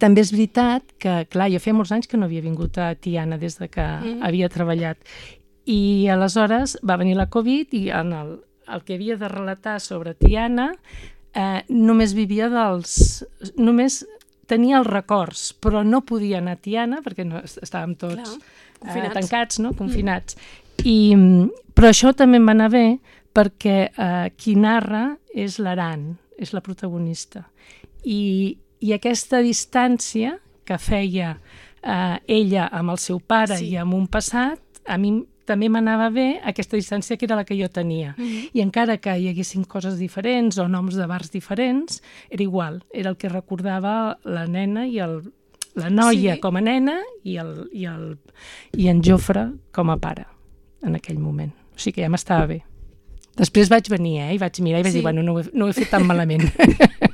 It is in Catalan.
també és veritat que, clar, jo feia molts anys que no havia vingut a Tiana des de que havia treballat. I aleshores va venir la Covid i en el que havia de relatar sobre Tiana només vivia només tenia els records, però no podia anar a Tiana perquè estàvem tots tancats, no? Confinats. Però això també em va anar bé perquè qui narra és l'Aran, és la protagonista. I aquesta distància que feia ella amb el seu pare i amb un passat, a mi també m'anava bé aquesta distància que era la que jo tenia. I encara que hi haguessin coses diferents o noms de bars diferents, era igual, era el que recordava la nena i la noia com a nena i en Jofre com a pare en aquell moment. O sigui que ja m'estava bé. Després vaig venir i vaig mirar i vaig dir, bueno, no ho he fet tan malament.